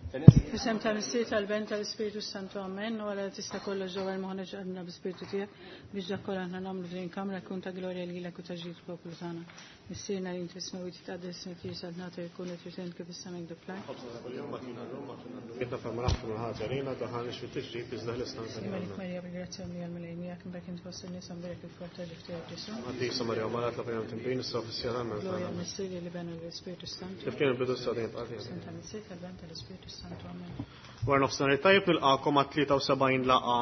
F'isem tal-Missier tal-Ben tal-Ispiritu Santu Amen, u għala tista' kollox ġewwa l-moħħna ġqabna bi-Spiritu tiegħek biex dak kollha aħna nagħmlu f'din kamra jkun ta' glorja lilek u ta' ġid poplu tagħna. Missierna li inti fis-smewwiet titqaddes ismek tiġi saltnata jkun qed kif is-sema jekk fl-art. Ħobżna kuljum agħtina llum agħtina dnubietna bħalma naħfru l-ħati għalina, daħħalniex fit-tiġrib iżda ħlisna minn Malik ħażin. Marija bil-grazzja mlija l-Mulej miegħek imbagħad int fost in-nisa mberek il-frott ta' ġuf tiegħek Ġesù. Qaddisa Marija Omm Alla tlob għalina mtinbin issa u fis-siegħa tal-mewt Glorja tagħna. l-Missier li ben u l-Ispiritu Santu. Kif kien il-bidu sa dejjem bqa' F'isem tal-Missier tal-Ben tal-Ispiritu Santu. Amen. Wara nofsinhar it-tajjeb nilqagħkom għat-73 laqgħa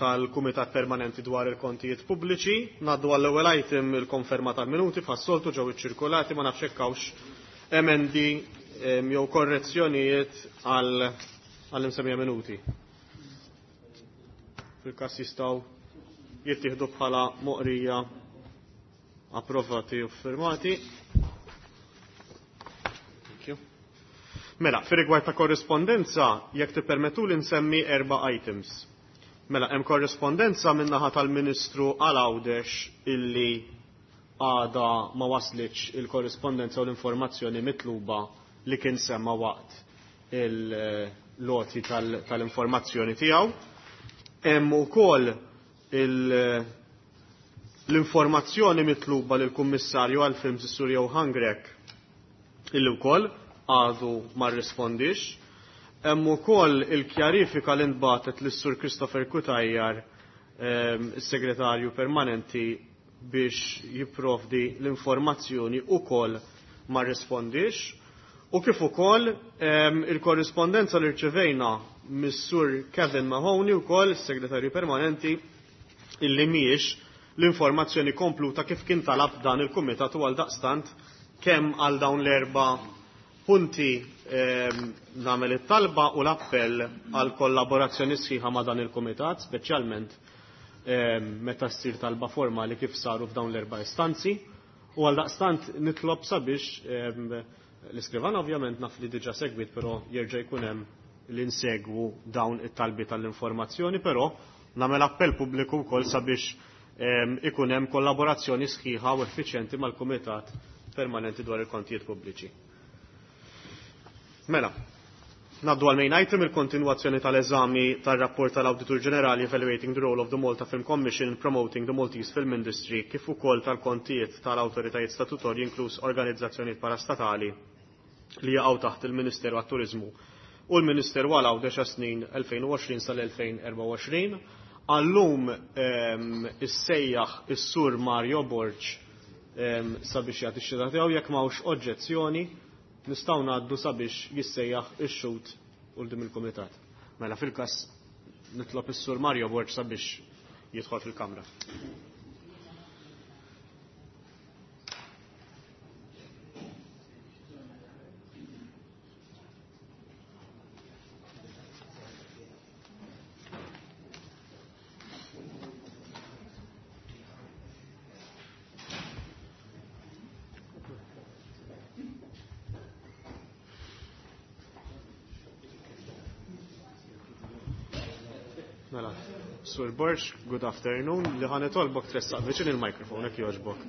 tal-Kumitat Permanenti dwar il-Kontijiet Pubbliċi. Ngħaddu għall-ewwel item il-konferma tal-minuti bħas-soltu ġew iċċirkulati ma nafx hekk hawnx emendi jew korrezzjonijiet għall-imsemmija minuti. Fil-każ jistgħu jittieħdu bħala moqrija approvati u firmati. Thank you. Mela, fir rigward ta' korrispondenza, jekk tippermettu li nsemmi erba' items. Mela, hemm korrispondenza min-naħa tal-Ministru għal Għawdex illi għada ma waslitx il-korrispondenza u l-informazzjoni mitluba li kien semma waqt il-loti tal-informazzjoni tiegħu. Hemm ukoll l-informazzjoni mitluba lill-Kummissarju għall-Films is-Sur Johann Grech illi wkoll għadu ma rrispondix. Hemm ukoll il-kjarifika li nbatet lis-Sur Christopher Cutajar, is-segretarju permanenti biex jipprovdi l-informazzjoni ukoll ma rrispondix. U kif ukoll il-korrispondenza li rċevejna mis-Sur Kevin Mahoney ukoll is-segretarju permanenti illi mhijiex l-informazzjoni kompluta kif kien talab dan il-kumitat u għal daqstant kemm għal dawn l-erba' punti nagħmel it-talba u l-appell għal kollaborazzjoni sħiħa ma' dan il-kumitat, speċjalment meta ssir talba formali kif saru f'dawn l-erba' istanzi. U għal daqstant nitlob sabiex l-iskrivan ovvjament naf li diġà segwit, però jerġa' jkun hemm li nsegwu dawn it-talbi tal-informazzjoni, però nagħmel appell pubbliku wkoll sabiex ikun hemm kollaborazzjoni sħiħa u effiċjenti mal-Kumitat Permanenti dwar il-Kontijiet Pubbliċi. Mela, naddu għal main item il-kontinwazzjoni tal-eżami tal-rapport tal-Awditur Ġenerali Evaluating the Role of the Malta Film Commission in Promoting the Maltese Film Industry kif ukoll tal-kontijiet tal-awtoritajiet statutorji inkluż organizzazzjonijiet parastatali li jaqgħu taħt il-Ministeru għat-Turiżmu u l-Ministeru għal Għawdex għas-snin 2020 sal-2024. Għallum issejjaħ is-Sur Mario Borg sabiex jagħti x-xhieda tiegħu jekk m'hawnx oġġezzjoni nistgħu ngħaddu sabiex jissejjaħ ix-xhud quddiem il-kumitat. Mela fil-każ nitlob is-Sur Mario Borg sabiex jidħol fil-kamra. Mela, Sur Borg, good afternoon. Li ħa nitolbok tressaq viċin il-mikrofon, jekk jogħġbok.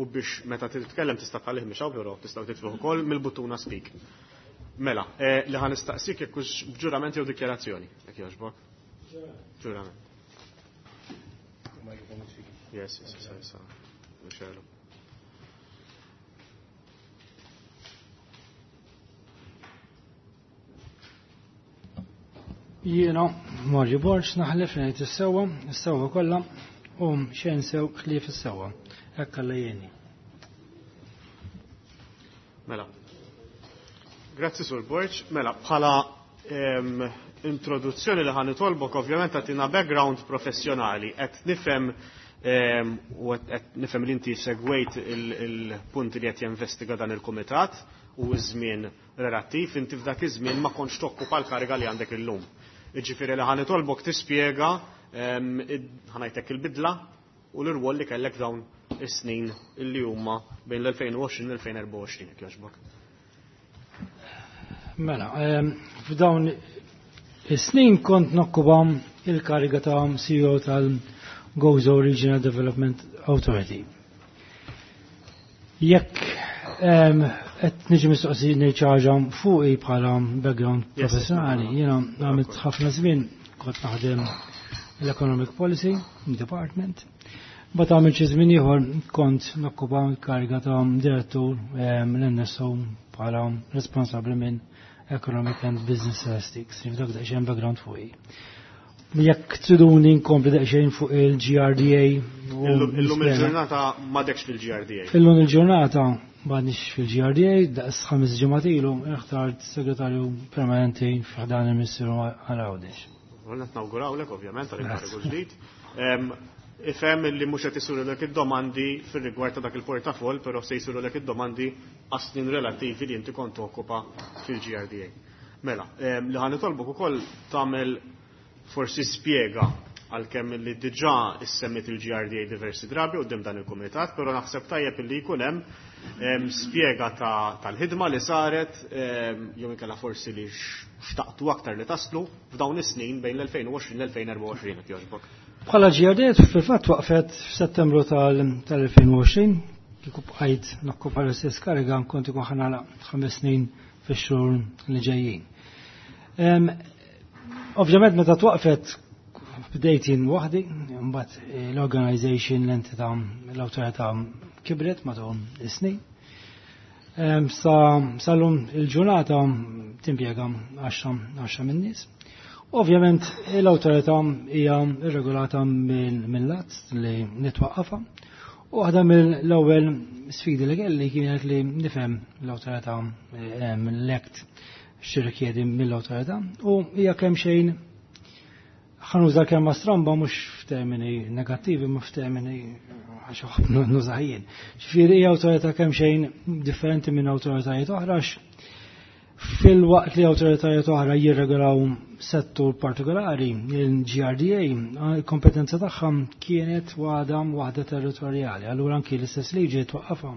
U biex meta titkellem tista' tħallih mhux hawn, però tistgħu titfgħu ukoll mill-buttuna speak. Mela, li ħa nistaqsik jekk hux b'ġurament jew dikjarazzjoni, jekk jogħġbok. Ġurament. Yes, yes, yes, yes. Mhux Jiena, Mario Borg, naħlef li ngħid is-sewwa, is-sewwa kollha, u xejn sew ħlief is-sewwa. Hekk Alla jgħinni. Mela. Grazzi Sur Borg. Mela, bħala introduzzjoni li ħa nitolbok ovvjament tagħtina background professjonali. Qed nifhem u qed nifhem li inti segwejt il-punti li qed jinvestiga dan il-kumitat u ż-żmien relattiv, inti f'dak iż-żmien ma kontx tokkupa l-kariga li għandek illum. Jiġifieri li ħa nitolbok tispjega ħa ngħidlek il-bidla u l-irwol li kellek dawn is-snin illi huma bejn l-2020 u l-2024, jekk jogħġbok. Mela, f'dawn is-snin kont nokkupa il-kariga ta' CEO tal-Gozo Regional Development Authority. Jekk Qed niġi mistoqsi ngħid xi ħaġa fuqi bħala background professjonali. Jiena għamilt ħafna żmien kont naħdem l-Economic Policy Department. Bat għamilt xi żmien ieħor kont nokkupa l-kariga ta' direttur l-NSO bħala responsabbli minn Economic and Business Statistics. Dak daqsxejn background fuqi. Jekk triduni nkompli daqsxejn fuq il-GRDA. Illum il-ġurnata m'għadekx fil-GRDA. Illum il-ġurnata m'għadniex fil-GRDA, daqs 5 ġimgħat ilu inħtart segretarju permanenti f'ħdan il-Ministeru għal Għawdex. Qed nawgurawlek ovvjament għal ġdid. Ifhem li mhux qed isirulek id-domandi fir-rigward ta' dak il-portafoll, però se jsirulek id-domandi għas-snin relattivi li inti kont okkupa fil-GRDA. Mela, li ħa nitolbok ukoll tagħmel forsi spjega għalkemm li diġà issemmit il-GRDA diversi drabi quddiem dan il-kumitat, però naħseb tajjeb li jkun hemm spjega tal-ħidma li saret jew inkella forsi li xtaqtu aktar li taslu f'dawn is-snin bejn l-2020 l-2024 jekk jogħġbok. Bħala GRDA fil-fatt waqfet f'Settembru tal-2020, kieku bqajt nokkupa l-istess kariga kont ikun ħa nagħlaq 5 snin fix-xhur li ġejjin. Ovvjament meta twaqfet bdejt jien waħdi, mbagħad l-organization, l-entità, l-awtorità kibret matul is-snin. Sa sal-lum il-ġurnata timpjega 10 min-nies. Ovvjament l-awtorità hija rregolata mill-att li nitwaqqafha. U waħda mill-ewwel sfidi li kelli kienet li nifhem l-awtorità, l-act x'tirrikjedi mill-awtorità, u hija kemm xejn ħa nuża kelma stramba mhux f'termini negattivi ma f'termini għax nuża jien. Ġifieri hija awtorità kemm xejn differenti minn awtoritajiet oħra, fil-waqt li awtoritajiet oħra jirregolaw settur partikolari, il-GRDA, il-kompetenza tagħha kienet waħda territorjali, allura anki l-istess liġi twaqqafha.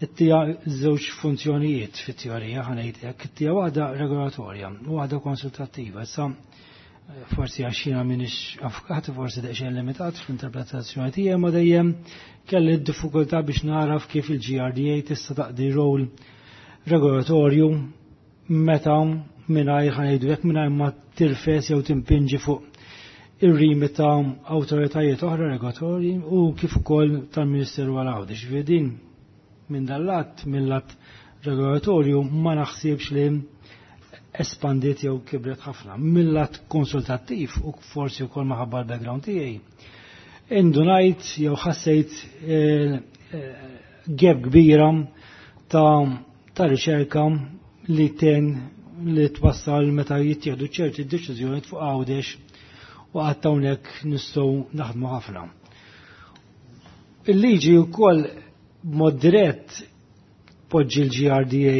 Ittija żewġ funzjonijiet fit-teorija ħa ngħid hekk, ittija waħda regolatorja u waħda konsultattiva. Issa forsi għax jiena m'iniex avukat, forsi daqsxejn limitat fl-interpretazzjoni tiegħi, ma dejjem kelli d-diffikultà biex naraf kif il-GRDA tista' taqdi rol regolatorju meta mingħajr ħa ngħidu hekk mingħajr ma tirfes jew timpinġi fuq ir-rimi ta' awtoritajiet oħra regolatorji u kif ukoll tal-Ministeru għal Għawdex. Ġifieri din minn dal-lat, mill-lat regolatorju ma naħsibx li espandiet jew kibret ħafna. Mill-lat konsultattiv u forsi wkoll maħabba l-background tiegħi, indunajt jew ħassejt gap kbira ta' riċerka li ten li twassal meta jittieħdu ċerti deċiżjoni fuq Għawdex u qatt hawnhekk nistgħu naħdmu ħafna. Il-liġi wkoll b'mod dirett poġġi l-GRDA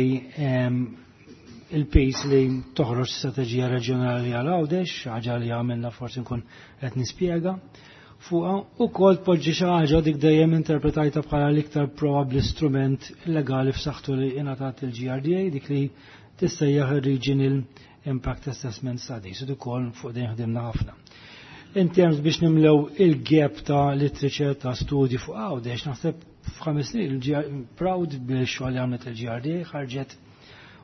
il-pace li toħroġ strateġija reġjonali għal Għawdex, ħaġa li għamilna forsi nkun qed nispjega fuqha, u kol tpoġġi xi ħaġa dik dejjem interpretajta bħala l-iktar probabbli strument legali f'saħħtu li ingħatat il-GRDA, dik li tissejjaħ il-Regional Impact Assessment Studies, u ukoll fuq din ħdimna ħafna. In terms biex nimlew il-gap ta' literature ta' studji fuq Għawdex, naħseb f'ħames snin proud bil-xogħol li għamlet il-GRDA ħarġet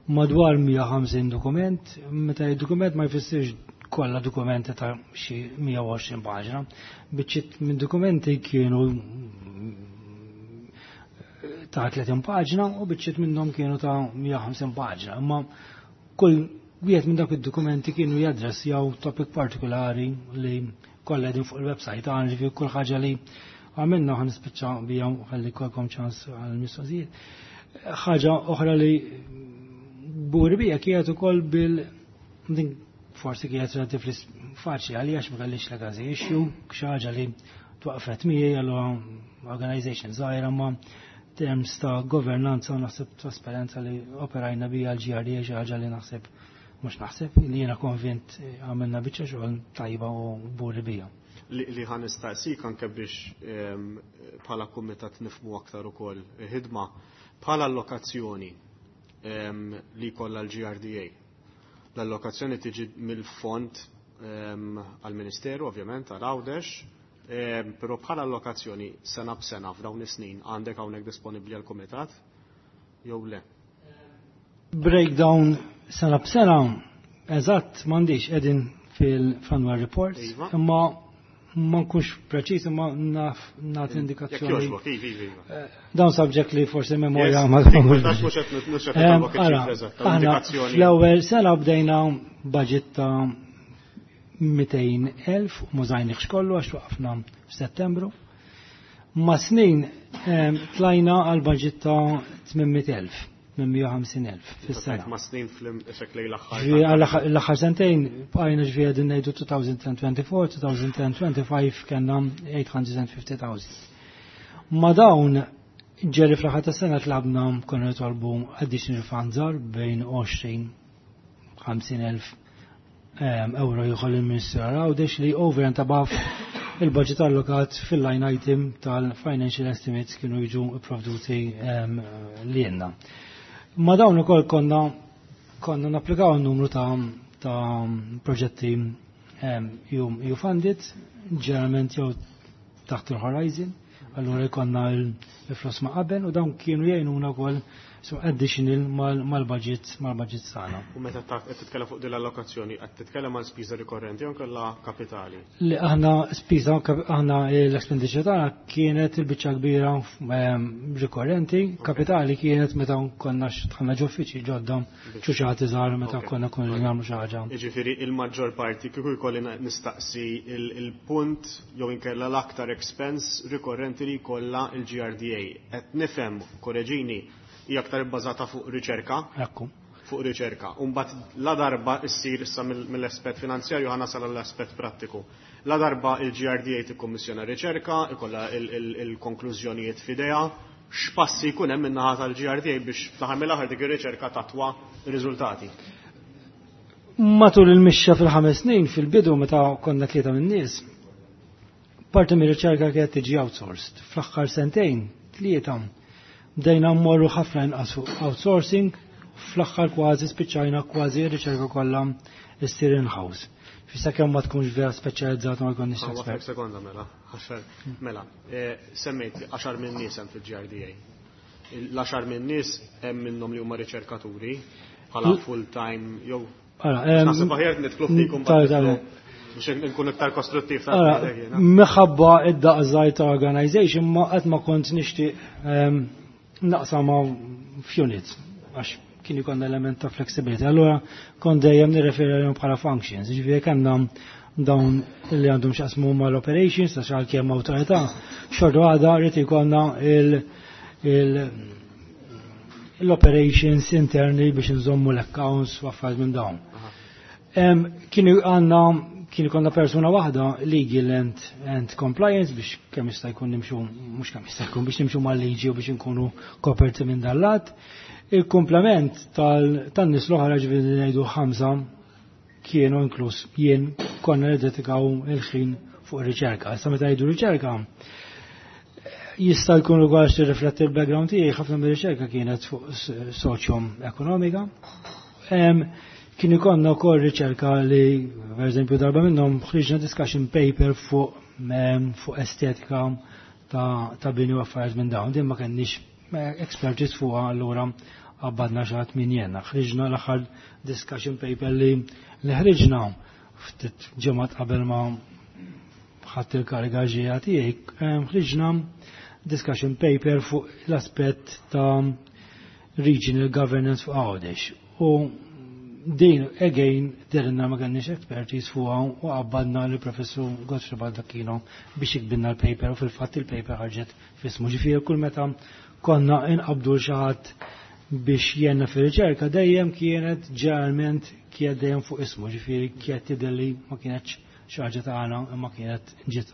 madwar 150 dokument, meta dokument ma jfissirx kollha dokumenti ta' xi 120 paġna, biċċiet minn dokumenti kienu ta' 30 paġna u biċċiet minnhom kienu ta' 150 paġna, imma kull wieħed minn dak id-dokumenti kienu jadressjaw topic partikolari li kollha qegħdin fuq il-website għan, ġifieri kull ħaġa li għamilna ħa nispiċċa bija ħalli kolkom ċans għal-mistoqsijiet. Ħaġa oħra li buri bija kienet ukoll bil din forsi kienet relatively faċli għalija għax ma kellix legacy issue, xi ħaġa li twaqfet miegħi allura organization żgħira, ma terms ta' governanza u naħseb trasparenza li operajna bija l-GRDA xi ħaġa li naħseb mhux naħseb li jiena konvint għamilna biċċa xogħol tajba u buri bija. Li ħa nistaqsik anke biex bħala kumitat nifmu aktar ukoll ħidma bħala allokazzjoni li kollha l-GRDA. L-allokazzjoni tiġi mill-fond għal-Ministeru, ovvjament, għal Għawdex, però bħala allokazzjoni sena b'sena f'dawn is-snin għandek hawnhekk disponibbli għall-kumitat jew le? Breakdown sena b'sena, eżatt m'għandix qegħdin fil-annual report, imma ma nkunx preċiż imma naf nagħti indikazzjoni. Jekk jogħġbok, iva, iva, iva. Dawn subject li forsi memorja ma mhux qed nitolbok iċ-ċifra eżatta, indikazzjoni. Fl-ewwel sena bdejna budget ta' 200,000 u m'użajniex kollu għax waqafna f'Settembru. Ma' snin tlajna għal budget ta' 800,000. 850,000 fis-sena. Ma' snin fl-effekt lejn l-aħħar. L-aħħar sentejn bqajna ġifieri qegħdin ngħidu 2024, 2025 kellna 850,000. Ma' dawn ġeri fl-aħħar tas-sena tlabna konna nitolbu additional funds bejn 20 50,000 euro jieħol il-Ministru Għawdex li over and above il-budget allokat fil-line item tal-financial estimates kienu jiġu provduti li jenna. Ma dawn ukoll konna napplikaw n-numru ta' proġetti EU funded, ġeneralment jew taħt il-Horizon, allura jkollna l-flus ma' qabel u dawn kienu jgħinuna wkoll so additional mal-budget tagħna. U meta qed titkellem fuq din l-allokazzjoni, qed titkellem għal spiża rikorrenti jew kellha kapitali? Li aħna spiża aħna l-expenditure tagħna kienet il-biċċa kbira rikorrenti, kapitali kienet meta konna dħalna ġo uffiċċji ġodda ċuċati żgħar meta konna konna nagħmlu xi ħaġa. Jiġifieri il-maġġor parti kieku jkolli nistaqsi il-punt jew inkella l-aktar expense rikorrenti li jkollha il-GRDA. Qed nifhem, korreġini, hija aktar ibbażata fuq riċerka. Ekku. Fuq riċerka. U mbagħad la darba issir issa mill-aspett finanzjarju ħa nasal għall-aspett prattiku. La darba il-GRDA tikkummissjona riċerka, ikollha il-konklużjonijiet f'idejha, x'passi jkun hemm min-naħa tal-GRDA biex fl-aħħar mill-aħħar dik ir-riċerka tatwa riżultati. Matul il-mixxa fil-5 snin fil-bidu meta konna 3 min-nies, parti mir-riċerka kienet tiġi outsourced. Fl-aħħar sentejn, 3, bdejna mmorru ħafna inqas fuq outsourcing, fl-aħħar kważi spiċċajna kważi r-riċerka kollha issir in-house. Fissa kemm ma tkunx vera speċjalizzata ma jkollniex Għaw, expert. Sekonda mela, għaxar, mela, semmejt li 10 minn nies hemm fil-GRDA. L-10 minn nies hemm minnhom li huma riċerkaturi bħala full time jew Ara, Naħseb aħjar nidħlu fikum biex nkun iktar kostruttiv ta' Ara, dak jiena. minħabba id-daqs żgħir ta' organization ma qatt ma kont nixtieq naqsama f'units għax kien ikun element ta' flexibility. Allura kont dejjem nirreferi għalihom bħala functions. Ġifieri kellna dawn li għandhom x'jaqsmu mal-operations, ta' xi kemm awtorità, xorta għadha rrid ikollna l-operations interni biex nżommu l-accounts u affarijiet minn dawn. Kienu għandna kien ikollna persuna waħda legal and compliance biex kemm jista' jkun nimxu, mhux kemm jista' jkun biex nimxu mal-liġi u biex inkunu koperti minn dal-lat. Il-komplement tan-nies l-oħra ġifieri ngħidu 5 kienu inkluż jien konna niddedikaw il-ħin fuq riċerka. Issa meta jgħidu riċerka, jista' jkun ukoll għax tirrifletti l-background tiegħi, ħafna mir-riċerka kienet fuq soċjo-ekonomika. Kien ikollna wkoll riċerka li, per eżempju, darba minnhom ħriġna discussion paper fuq estetika ta' bini u affarijiet minn dawn. Din ma kenniex expertise fuqha, allura qabbadna xi ħadd min jena. Ħriġna l-aħħar discussion paper li ħriġna ftit ġimgħat qabel ma ħadd il-kariga ġejja tiegħi, ħriġna discussion paper fuq l-aspett ta' regional governance fuq Għawdex. U din, again, derinna ma kenniex expertise fuqha u qabbadna li professur Godfrey Baldacchino biex jikbinna l-paper u fil-fatt il-paper ħarġet f'ismu. Ġifieri kull meta konna inqabdu xi ħadd biex jenna fir-riċerka dejjem kienet ġeneralment kienet dejjem fuq ismu, ġifieri kienet tidher li ma kienetx xi ħaġa tagħna imma kienet ġiet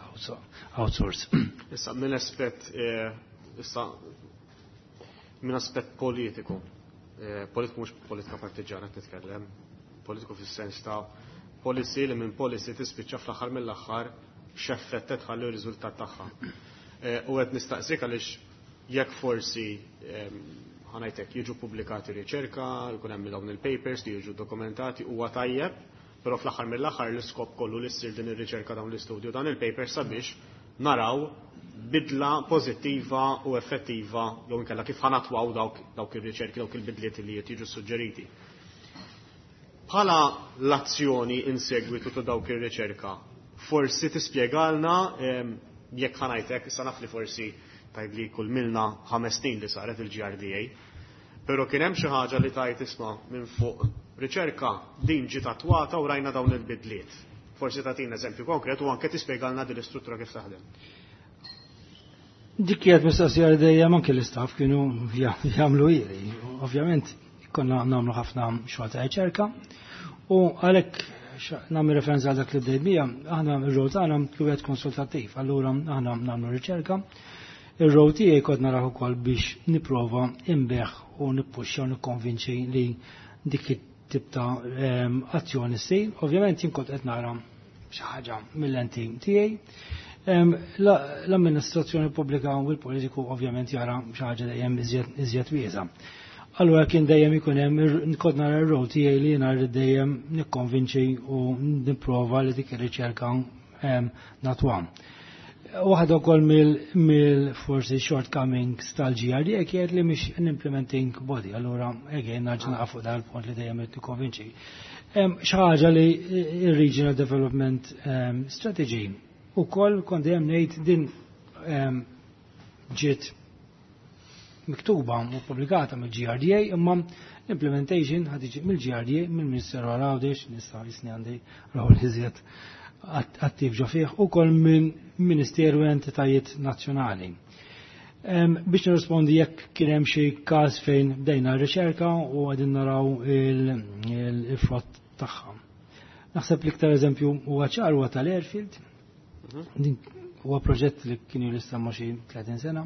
outsource. Issa minn aspett issa minn aspett politiku, politiku mhux politika partiġjana qed nitkellem, politiku fis-sens ta' policy li minn policy tispiċċa fl-aħħar mill-aħħar x'effett tħalli r-riżultat tagħha. U qed nistaqsik għaliex jekk forsi ħanajtek jiġu pubblikati riċerka, jkun hemm dawn il-papers li jiġu dokumentati huwa tajjeb, però fl-aħħar mill-aħħar l-iskop kollu li ssir din ir-riċerka dawn l-istudju dan il-papers sabiex naraw bidla pożittiva u effettiva jew inkella kif ħa nattwaw dawk ir-riċerki, dawk il-bidliet li qed jiġu suġġeriti. Bħala l-azzjoni in segwitu ta' dawk ir-riċerka, forsi tispjegalna jekk ħa ngħidlek, issa naf li forsi tajb li kull milna 5 snin li saret il-GRDA, pero kien hemm xi ħaġa li tajt isma' minn fuq riċerka din ġiet attwata u rajna dawn il-bidliet. Forsi tagħtina eżempju konkret u anke tispjegalna din l-istruttura kif taħdem. Dik kienet mistoqsija li dejjem anke l-istaff kienu jagħmlu ili. Ovvjament konna nagħmlu ħafna xogħol ta' riċerka u għalhekk nagħmel referenza għal dak li bdejt bija, aħna r-rol tagħna wieħed konsultattiv, allura aħna nagħmlu riċerka. Ir-rol tiegħi kont naraw ukoll biex nipprova inbigħ u nippuxxa u nikkonvinċi li dik it-tip ta' azzjoni ssir. Ovvjament jien kont qed nara xi ħaġa mill-lenti tiegħi. L-amministrazzjoni pubblika u l-politiku ovvjament jara xi ħaġa dejjem iżjed wiesa'. Allura kien dejjem ikun hemm kont nara r-rol tiegħi li jiena rrid dejjem nikkonvinċi u nipprova li dik ir-riċerka nattwa. Waħda wkoll mill forsi shortcomings tal-GRDA kienet li mhix an implementing body, allura again nerġa' naqa' fuq dal-punt li dejjem irid nikkonvinċi. Xi ħaġa li il-Regional Development Strategy ukoll kont dejjem ngħid din ġiet miktuba u pubblikata mill-GRDA, imma l-implementation ħad tiġi mill-GRDA, mill-Ministeru għal Għawdex, nista' jisni għandi rol iżjed attiv ġo fih, ukoll minn Ministeru e entitajiet nazzjonali. Biex nirrispondi jekk kien hemm xi każ fejn bdejna r-riċerka u qegħdin naraw il-frott tagħha. Naħseb l-iktar eżempju huwa ċar huwa tal-Airfield. Din huwa proġett li kien jissemma xi 30 sena.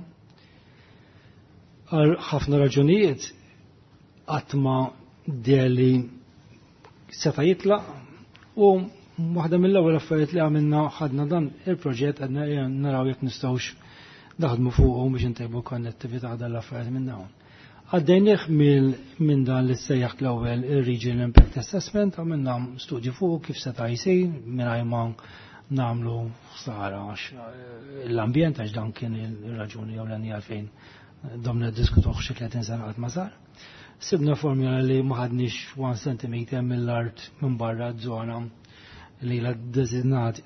Għal ħafna raġunijiet qatt ma deli seta' jitlaq u waħda mill-ewwel affarijiet li għamilna, ħadna dan il-proġett, għadna naraw jekk nistgħux naħdmu fuqhom biex intejbu konnettività dan l-affarijiet minn dawn. Għaddejnieh minn dan li sejjaħt l-ewwel il-Regional Impact Assessment, għamilna studju fuq kif seta' jsir mingħajr ma nagħmlu ħsara għax l-ambjent, għax dan kien il-raġuni jew l għalfejn domna diskutuh xi 30 sena qatt ma sar. Sibna formula li ma ħadniex 1 cm mill-art minn barra żona li la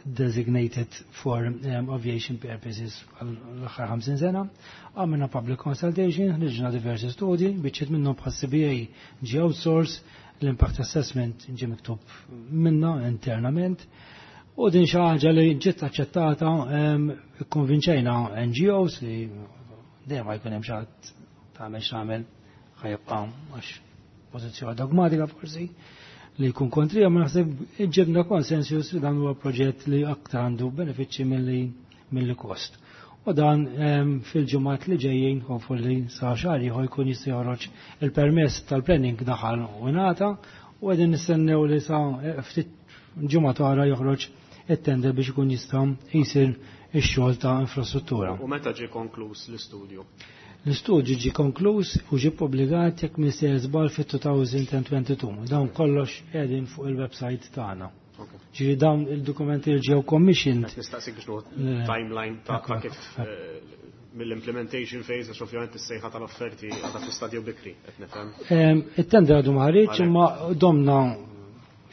designated for aviation purposes għall-aħħar 50 sena. Għamilna public consultation, ħriġna diversi studji, biċċiet minnhom bħal CBA ġi outsource, l-impact assessment ġi miktub minna internament. U din xi ħaġa li ġiet aċċettata, ikkonvinċejna NGOs li dejjem ma jkun hemm xi ħadd tagħmel x'tagħmel ħa jibqa' għax pożizzjoni dogmatika forsi li jkun kontrija, ma naħseb ġibna konsensus li dan huwa proġett li aktar għandu benefiċċji milli kost. U dan fil-ġimgħat li ġejjin, hopefully sa xahar ieħor, jkun jista' joħroġ il-permess tal-planning, daħal u ngħata u qegħdin nistennew li sa ftit ġimgħa oħra joħroġ it-tender biex ikun jista' jsir ix-xogħol ta' infrastruttura. U meta ġie konkluż l-istudju? L-istudju ġi konkluż u ġi publikat, jekk m'iniex sejjer żball, fit-2022. Dawn kollox qegħdin fuq il-website tagħna. Ġifieri dawn il-dokumenti li ġew commissioned. Qed nistaqsik biex nieħu timeline ta' kif mill-implementation phase, għax ovvjament is-sejħa tal-offerti għadha fi stadju bikri, qed nifhem. It-tender għadu ma ħareġ, imma domna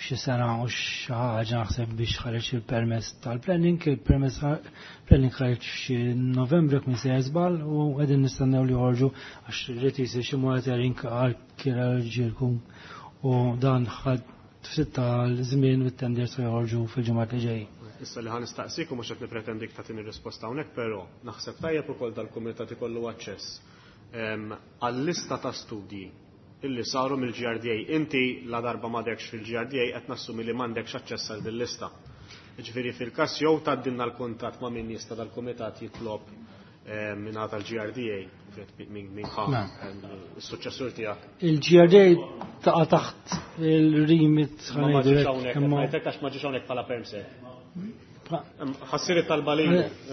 xi sena u xi ħaġa naħseb biex ħareġ il-permess tal-planning, il-permess planning ħareġ xi Novembru jekk m'iniex sejjer żball u qegħdin nistennew li joħorġu għax irid jsir xi monitoring arkeoloġiku u dan ħad ftit tal-żmien u t-tender se joħorġu fil-ġimgħat li ġejjin. Issa li ħa nistaqsik u mhux qed nipretendik tagħtini risposta hawnhekk, però naħseb tajjeb ukoll dal-kumitat ikollu aċċess għall-lista ta' studji illi saru mill-GRDA. Inti la darba m'għadekx fil-GRDA qed nassumi li m'għandekx aċċess għal din lista. Ġifieri fil-każ jew tgħaddilna l-kuntatt ma' min jista' dal-kumitat jitlob minn tal-GRDA, min ħa is-suċċessur tiegħek. Il-GRDA taqa' taħt il-remit. Ma ma ġiex hawnhekk, ngħidlek għax ma ġiex hawnhekk bħala permsek. Ħa ssir it-talba li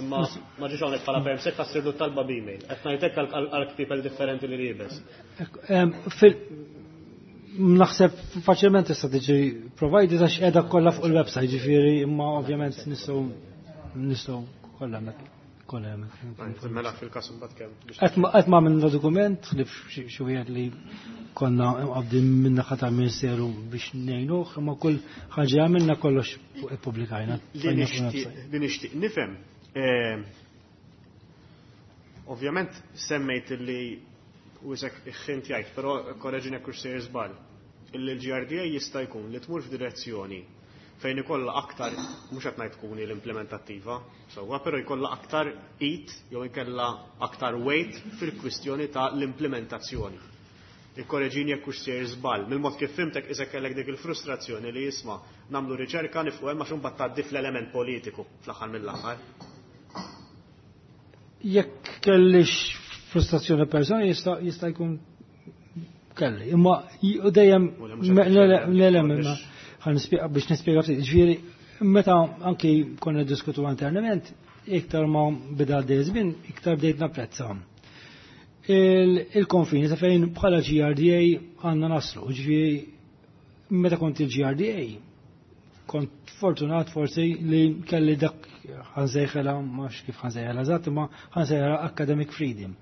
imma ma ġiex hawnhekk bħala permsek, ħa ssirlu talba b'email. Qed ngħidlek għal ktibel differenti li liebes. Naħseb faċilment tista' tiġi provided għax qiegħda kollha fuq il-website, ġifieri imma ovvjament nistgħu kollha hemmhekk. Kollha. Mela fil-każ imbagħad kemm. Qatt ma għamilna dokument li xi wieħed li konna qabdin minn naħa tal-Ministeru biex ngħinuh, imma kull ħaġa għamilna kollox ippubblikajna. Li nixtieq nifhem, ovvjament semmejt li u isek ħint jgħid, però korreġini jekk sejjer żball, illi l-GRDA jista' jkun li tmur f'direzzjoni fejn ikollha aktar, mhux qed ngħid tkun l-implementattiva, sewwa, però jkollha aktar id jew inkella aktar weight fil-kwistjoni ta' l-implementazzjoni. Ikkoreġini jekk hux sejjer żball. Mill-mod kif fhimtek isek kellek dik il-frustrazzjoni li jisma' nagħmlu riċerka nifqu hemm għax imbagħad tgħaddi fl-element politiku fl-aħħar mill-aħħar. Jekk kellix frustrazzjoni personali jista' jkun kelli. Imma dejjem le biex nispjega ftit. Ġifieri meta anki konna diskutu internament, iktar ma bida għaddej żmien, iktar bdejt napprezza il-konfini ta' fejn bħala GRDA għandna naslu. Ġifieri meta kont il-GRDA kont fortunat forsi li kelli dak ħa nsejħilha, mhux kif ħa nsejħilha eżatt, imma ħa nsejħilha academic freedom.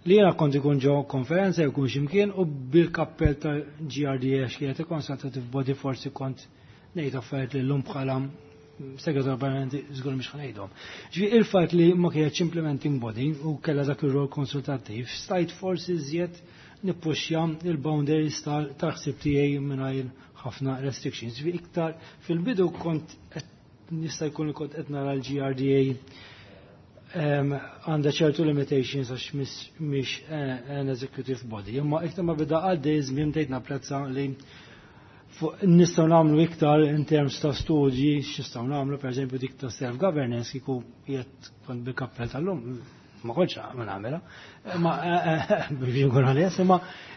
Li jena kont ikun ġo konferenza jkun ximkien u bil-kappell ta' GRDA x'kienet consultative body forsi kont ngħid affarijiet li llum bħala segretar permanenti żgur mhux ħa ngħidhom. Ġifieri il-fatt li ma kienx implementing body u kellha dak ir-rol konsultattiv, stajt forsi żjed nippuxja il-boundaries tal-ħsieb tiegħi mingħajr ħafna restrictions. Ġifieri iktar fil-bidu kont jista' jkun li kont qed nara l-GRDA għandha ċertu limitations għax mhix an executive body. Imma iktar ma bida għaddej żmien bdejt napprezza li nistgħu nagħmlu iktar in terms ta' studji, x'nistgħu nagħmlu pereżempju dik ta' self-governance kieku qiegħed kont bil-kappell tal-lum ma kontx ma nagħmilha. Ma biex nkun onest, imma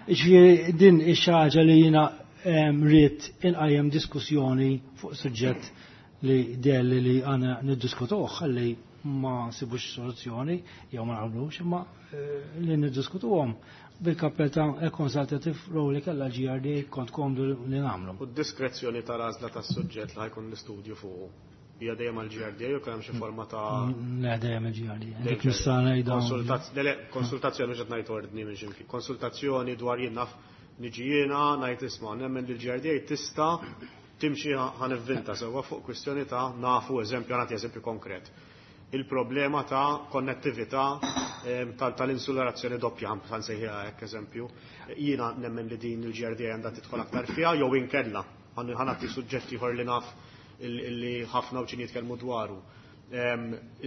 ġifieri din ix-xi ħaġa li jiena rrid inqajjem diskussjoni fuq suġġett li delli li għandna niddiskutuh ħalli ma sibux soluzzjoni jew ma naqblux, imma li niddiskutuhom bil-kappell ta' consultative role li kellha GRD kont komdu li nagħmlu. U d-diskrezzjoni tal-għażla tas-suġġett li ħa jkun l-istudju fuq hija dejjem għall-GRD jew kemm xi forma ta' Le, dejjem il-GRD. Dik nista' ngħidha. Le, konsultazzjoni mhux qed ngħid ordni minn x'imkien. Konsultazzjoni dwar jien naf niġi jiena ngħid isma' nemmen li l-GRDA tista' timxi ħa nivvinta sewwa fuq kwistjoni ta' nafu eżempju, nagħti eżempju konkret. Il-problema ta' konnettività tal-insularazzjoni doppja, ħa nsejħiha hekk eżempju. Jiena nemmen li din il-GRDA għandha tidħol aktar fiha jew inkella ħa nagħti suġġetti ieħor li naf illi ħafna uċin jitkellmu dwaru.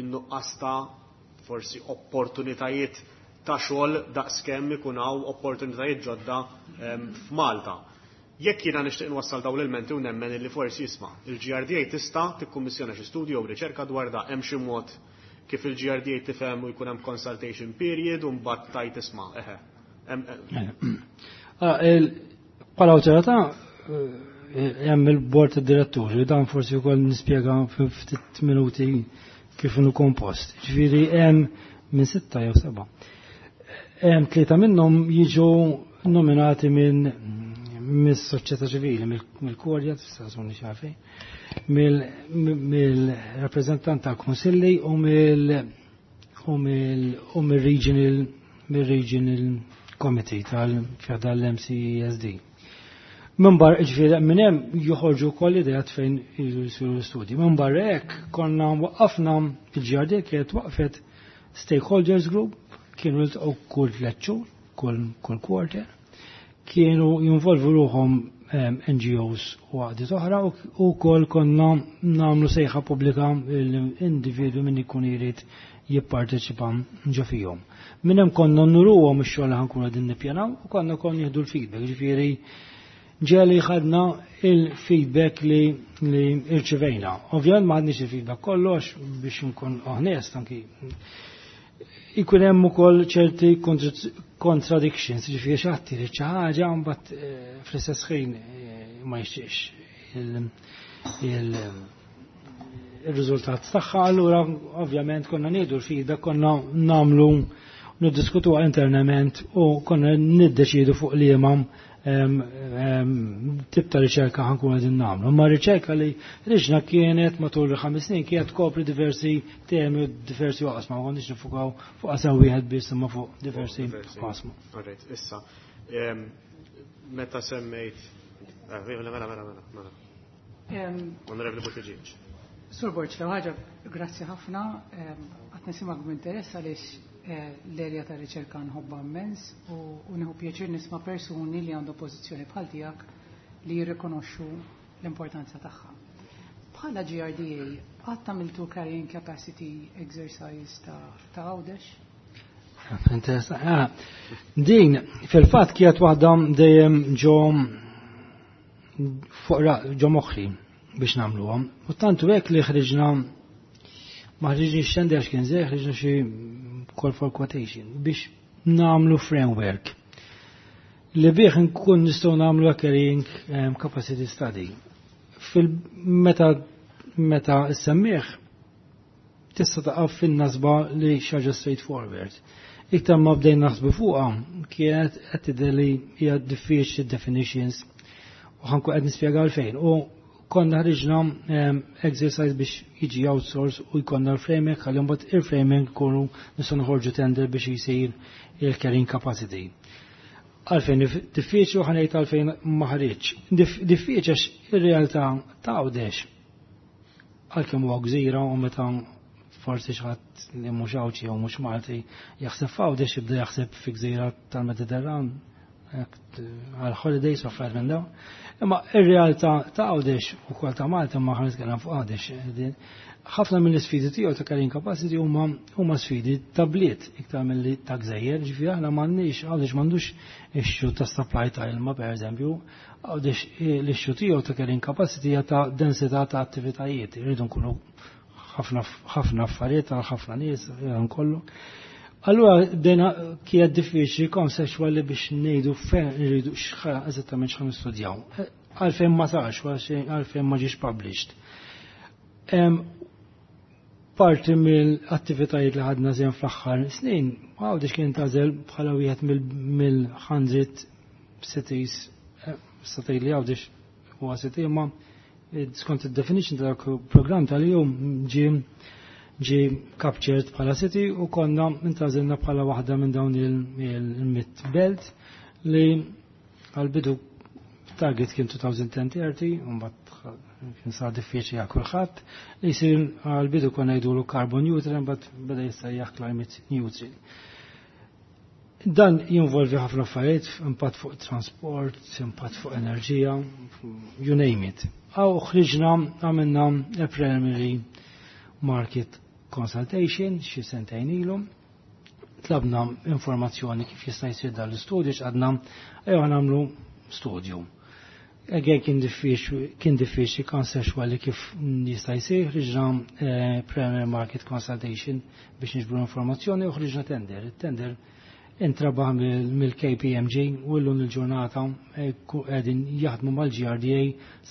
In-nuqqas ta' forsi opportunitajiet ta' xogħol daqskemm ikun hawn opportunitajiet ġodda f'Malta. Jekk jiena nixtieq nwassal dawn l-elementi u nemmen illi forsi jisma' il-GRDA tista' tikkummissjona xi studju jew riċerka dwar da hemm xi mod kif il-GRDA tifhem u jkun hemm consultation period u mbagħad tajt isma' eħe. Bħala awtorità hemm il-bord tad-diretturi, dan forsi wkoll nispjega ftit minuti kif inhu kompost. Ġifieri hemm minn 6 jew 7. Hemm 3 minnhom jiġu nominati minn mis-soċjetà ċivili, mill-Kurja, tista' tkunni xafi, mill-rappreżentant tal-Kunsilli u mill-Regional Committee tal-MCESD. Minn barra, ġifieri, minn hemm joħorġu wkoll ideat fejn jsiru l-istudji. Minn barra hekk konna waqqafna il-GRD kienet waqfet stakeholders group, kienu jiltaqgħu kull 3 xhur, kull quarter, kienu jinvolvu ruħhom NGOs u għaqdiet oħra u wkoll konna nagħmlu sejħa pubblika l-individwi min ikun irid jipparteċipa ġo fihom. Minn hemm konna nuruhom ix-xogħol li ħa nkunu qegħdin nippjanaw u konna konna nieħdu l-feedback, ġifieri ġeli ħadna il-feedback li irċivejna. Ovvjament ma ħadniex il-feedback kollox biex nkun onest anki. Ikun hemm ukoll ċerti contradictions, ġifieri xi ħadd irid xi ħaġa mbagħad fl-istess ħin ma jixtieqx il-riżultat tagħha, allura ovvjament konna nieħdu l-feedback, konna nagħmlu niddiskutuha internament u konna niddeċidu fuq liema tip ta' riċerka ħankun qegħdin nagħmlu. Ma riċerka li riġna kienet matul il-5 snin kienet tkopri diversi temi u diversi oqsma, ma konniex nifukaw fuq qasam wieħed biss imma fuq diversi oqsma. Alright, issa, meta semmejt, mela, mela, mela, mela. Onorevoli Buttigieg. Sur Borg, l ħaġa, grazzi ħafna, qed nisimgħek b'interess għaliex l-erja ta' riċerka nħobba immens u nieħu pjaċir nisma' persuni li għandu pożizzjoni bħal tiegħek li jirrikonoxxu l-importanza tagħha. Bħala GRDA, qatt għamiltu carrying capacity exercise ta' Għawdex? Interessant. Din, fil-fatt kienet waħda dejjem ġo fuq ġo moħħi biex nagħmluhom. U tantu hekk li ħriġna ma ħriġniex tender x'kien żej, ħriġna xi call for quotation biex nagħmlu framework li bih nkun nistgħu nagħmlu carrying capacity study. Fil-meta meta issemmih tista' taqaf fin-nasba li xi ħaġa straightforward. Iktar ma bdejna naħsbu fuqha kienet qed tidher li hija diffiċli definitions u ħankun qed nispjega għalfejn. U konna ħriġna exercise biex jiġi outsource u jkollna l-framing ħalli mbagħad il-framing kunu nistgħu noħorġu tender biex jisir il-carrying capacity. Għalfejn diffiċli u ħa ngħid għalfejn ma ħriġ. Diffiċli għax ir-realtà ta' Għawdex għalkemm huwa gżira u meta forsi xi ħadd li mhux Għawdxi jew mhux Malti jaħseb f'Għawdex jibda jaħseb fi gżira tal-Mediterran għal holidays u affarijiet minn dawn. Imma ir-realtà ta' Għawdex ukoll ta' Malta ma ħa nitkellem fuq Għawdex. Ħafna mill-isfidi tiegħu ta' carrying capacity huma sfidi ta' bliet iktar milli ta' gżejjer, ġifieri aħna m'għandniex Għawdex m'għandux issue ta' supply ta' ilma pereżempju, Għawdex l-issue tiegħu ta' carrying capacity hija ta' densità ta' attivitajiet, irridu nkunu ħafna affarijiet għal ħafna nies kollu. Allura bdejna kienet diffiċli conceptually biex ngħidu fejn irridu eżattament x'ħa nistudjaw. Għalfejn ma sarx, għalfejn ma ġiex published. Parti mill-attivitajiet li ħadna żejn fl-aħħar snin, Għawdex kien tagħżel bħala wieħed mill-100 cities, sa li Għawdex huwa city, imma skont id-definition tal-programm tal-jum ġie captured bħala city u konna intgħażilna bħala waħda minn dawn il-100 belt li għal-bidu target kien 2030, u mbagħad kien sar diffiċli għal kulħadd li jsir għal-bidu konna jgħidulu carbon neutral, mbagħad beda jissejjaħ climate neutral. Dan jinvolvi ħafna affarijiet, impatt fuq transport, impatt fuq enerġija, you name it. Għaw ħriġna għamilna a preliminary market consultation xi sentejn ilu. Tlabna informazzjoni kif jista' jsir dan l-istudju x'għadna ejja nagħmlu studju. Again kien diffiċli conceptually kif jista' jsir, ħriġna preliminary market consultation biex niġbru informazzjoni u ħriġna tender. Il-tender intrabaħ mill-KPMG u llum il-ġurnata qegħdin jaħdmu mal-GRDA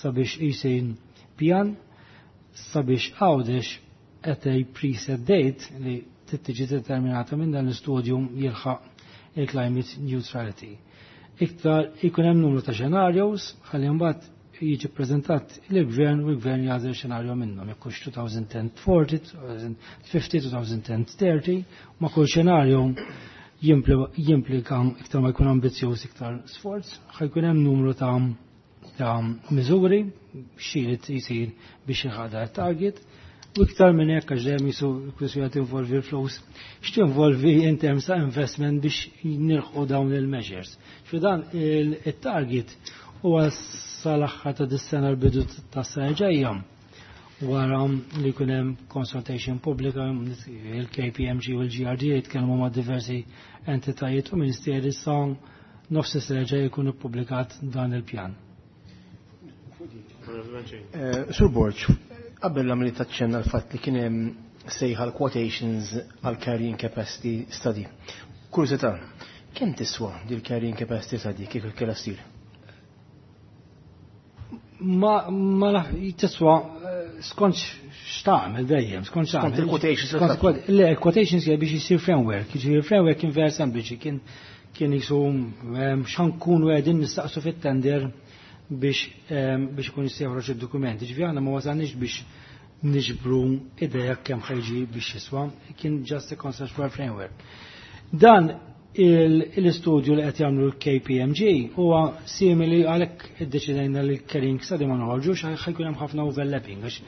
sabiex jsir pjan sabiex Għawdex at a preset date li tiġi determinata minn dan l-istudju jilħaq il-climate neutrality. Iktar ikun hemm numru ta' scenarios ħalli mbagħad jiġi preżentat il-gvern u l-gvern jagħżel xenarju minnhom jekk hux 2040, 2050, 2030, ma kull xenarju jimplika iktar ma jkun ambizzjuż iktar sforz, ħa jkun hemm numru ta' miżuri x'irid jsir biex jilħaq target u iktar minn hekk għax dejjem jisu kwistjoni tinvolvi l-flus, x'tinvolvi in terms ta' investment biex nilħqu dawn il-measures. Fi dan il-target huwa sal-aħħar ta' dis-sena l-bidu tas-sena ġejja wara li jkun hemm consultation pubblika il-KPMG u l-GRD jitkellmu ma' diversi entitajiet u ministeri sa nofs is-sena ġejja jkun ippubblikat dan il-pjan. Sur Borg, qabel għamilt taċċenna l-fatt li kien hemm sejħa l-quotations għal carrying capacity study. Kurżità, kemm tiswa dil carrying capacity study kif kellha ssir? Ma naf tiswa skont x'tagħmel dejjem, skont x'tagħmel. Skont il-quotations. Le, quotations hija biex isir framework, jiġifieri framework kien vera sempliċi, kien Kien jisu x'ħankunu qegħdin nistaqsu fit-tender biex ikun jista' joħroġ id-dokumenti. Ġifieri aħna ma wasalniex biex niġbru ideja kemm ħa jiġi biex jiswa, kien just a conceptual framework. Dan l-istudju li qed jagħmlu l-KPMG huwa simili, għalhekk iddeċidejna li l-carrying study ma noħorġux, ħa jkun hemm ħafna overlapping, għax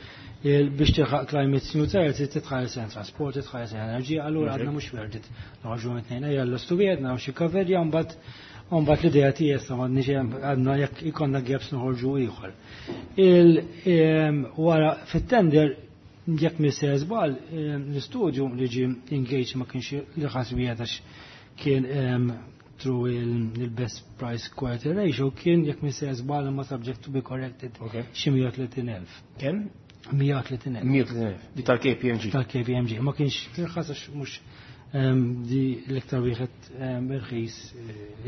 biex tilħaq climate neutrality titħares lejn trasport, titħares lejn enerġija, allura għadna mhux worth it noħorġu mit-tnejn, ejja l-istu wieħed naraw xi coverja, mbagħad l-idea tiegħi sa m'għadniex għadna, jekk ikollna gaps noħorġu ieħor. Wara fit-tender, jekk m'iniex żball, l-istudju li ġie engaged ma kienx l-irħas wieħed, għax kien through il-best price quality ratio, kien, jekk m'iniex żball, ma subject to be corrected, xi 130,000. Kemm? 130,000. 130,000. Di tal-KPMG. Tal-KPMG. Ma kienx irħas għax mhux di l-iktar wieħed irħis,